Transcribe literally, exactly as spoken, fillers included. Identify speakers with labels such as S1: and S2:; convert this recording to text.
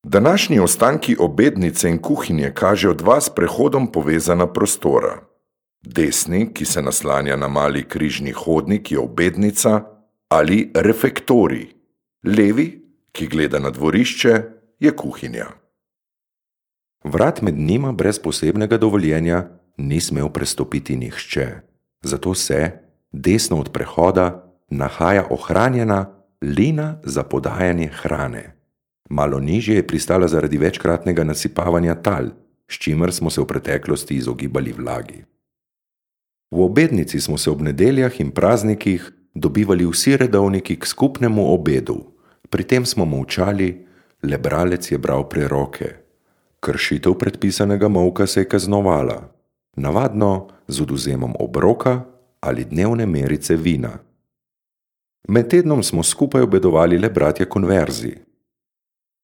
S1: Današnji ostanki obednice in kuhinje kažejo dva s prehodom povezana prostora. Desni, ki se naslanja na mali križni hodnik, je obednica ali refektorij. Levi, ki gleda na dvorišče, je kuhinja.
S2: Vrat med njima brez posebnega dovoljenja ni smel prestopiti nihče, zato se, desno od prehoda, nahaja ohranjena lina za podajanje hrane. Malo nižje je pristala zaradi večkratnega nasipavanja tal, s čimer smo se v preteklosti izogibali vlagi. V obednici smo se ob nedeljah in praznikih dobivali vsi redovniki k skupnemu obedu. Pri tem smo molčali, le bralec je bral preroke. Kršitev predpisanega molka se je kaznovala, navadno z odvzemom obroka ali dnevne merice vina. Med tednom smo skupaj obedovali le bratje konverzi.